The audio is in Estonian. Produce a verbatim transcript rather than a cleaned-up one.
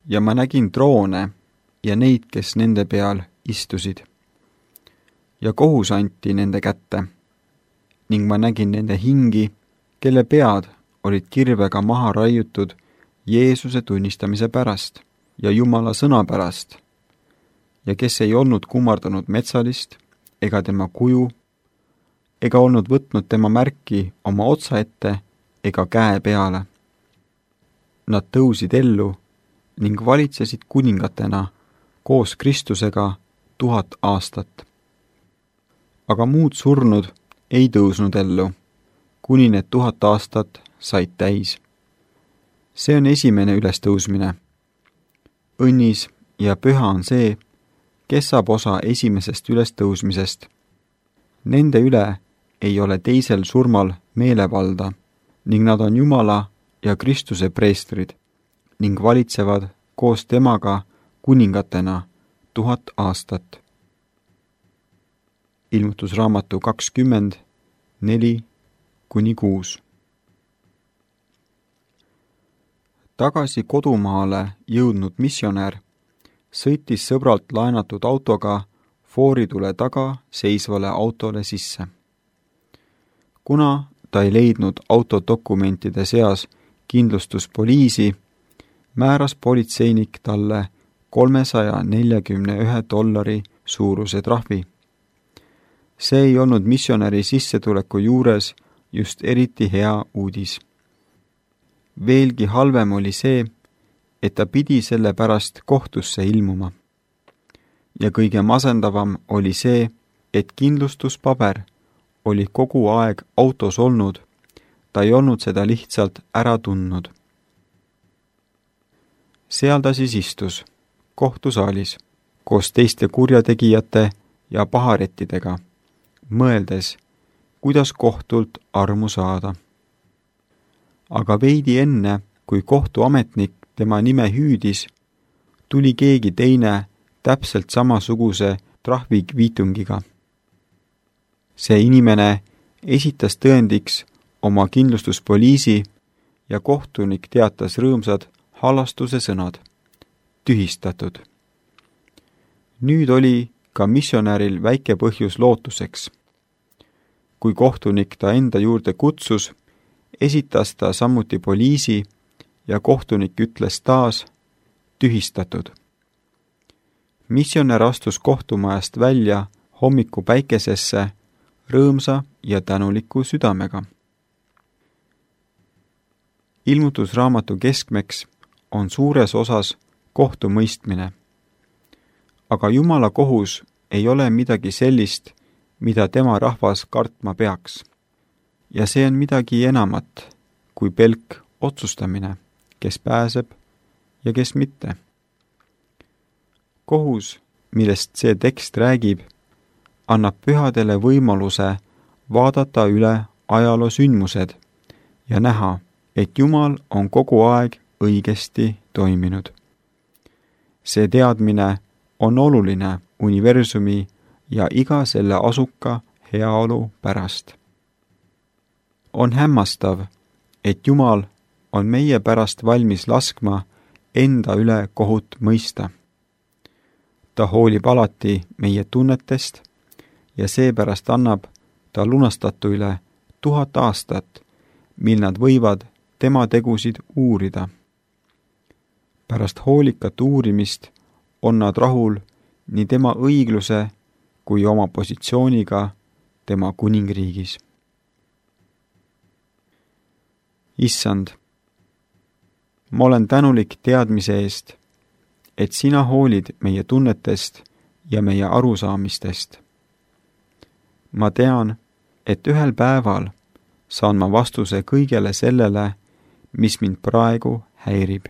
ja ma nägin troone ja neid, kes nende peal istusid. Ja kohus anti nende kätte, ning ma nägin nende hingi, kelle pead olid kirvega maha raiutud Jeesuse tunnistamise pärast ja Jumala sõna pärast, ja kes ei olnud kummardanud metsalist ega tema kuju, ega olnud võtnud tema märki oma otsa ette ega käe peale. Nad tõusid ellu ning valitsesid kuningatena koos Kristusega tuhat aastat. Aga muud surnud ei tõusnud ellu, kuni need tuhat aastat said täis. See on esimene ülestõusmine. Õnnis ja püha on see, kes saab osa esimesest ülestõusmisest. Nende üle ei ole teisel surmal meelevalda, ning nad on Jumala ja Kristuse preestrid ning valitsevad koos temaga kuningatena tuhat aastat. Ilmutusraamatu kakskümmend neli kuni kuus. Tagasi kodumaale jõudnud missionär sõitis sõbralt laenatud autoga fooritule taga seisvale autole sisse. Kuna ta ei leidnud autodokumentide seas kindlustuspoliisi, määras politseinik talle kolmesaja neljakümne ühe dollari suuruse trahvi. See ei olnud missionäri sissetuleku juures just eriti hea uudis. Veelgi halvem oli see, et ta pidi selle pärast kohtusse ilmuma. Ja kõige masendavam oli see, et kindlustuspaber oli kogu aeg autos olnud, ta ei olnud seda lihtsalt ära tundnud. Seal ta siis istus, kohtusaalis, koos teiste kurjategijate ja paharettidega, mõeldes, kuidas kohtult armu saada. Aga veidi enne, kui kohtuametnik tema nime hüüdis, tuli keegi teine täpselt samasuguse trahvikviitungiga. See inimene esitas tõendiks oma kindlustuspoliisi ja kohtunik teatas rõõmsad halastuse sõnad. Tühistatud. Nüüd oli ka missionäril väike põhjus lootuseks. Kui kohtunik ta enda juurde kutsus, esitas ta samuti poliisi ja kohtunik ütles taas tühistatud. Missionär astus kohtumajast välja hommiku päikesesse rõõmsa ja tänuliku südamega. Ilmutusraamatu keskmeks on suures osas kohtumõistmine. Aga Jumala kohus ei ole midagi sellist, mida tema rahvas kartma peaks. Ja see on midagi enamat kui pelk otsustamine, kes pääseb ja kes mitte. Kohus, millest see tekst räägib, annab pühadele võimaluse vaadata üle ajaloo sündmused ja näha, et Jumal on kogu aeg õigesti toiminud. See teadmine on oluline universumi ja iga selle asuka heaolu pärast. On hämmastav, et Jumal on meie pärast valmis laskma enda üle kohut mõista. Ta hoolib alati meie tunnetest ja seepärast annab ta lunastatuile tuhat aastat, mil nad võivad tema tegusid uurida. Pärast hoolikat uurimist on nad rahul nii tema õigluse kui oma positsiooniga tema kuningriigis. Issand, ma olen tänulik teadmise eest, et sina hoolid meie tunnetest ja meie arusaamistest. Ma tean, et ühel päeval saan ma vastuse kõigele sellele, mis mind praegu häirib.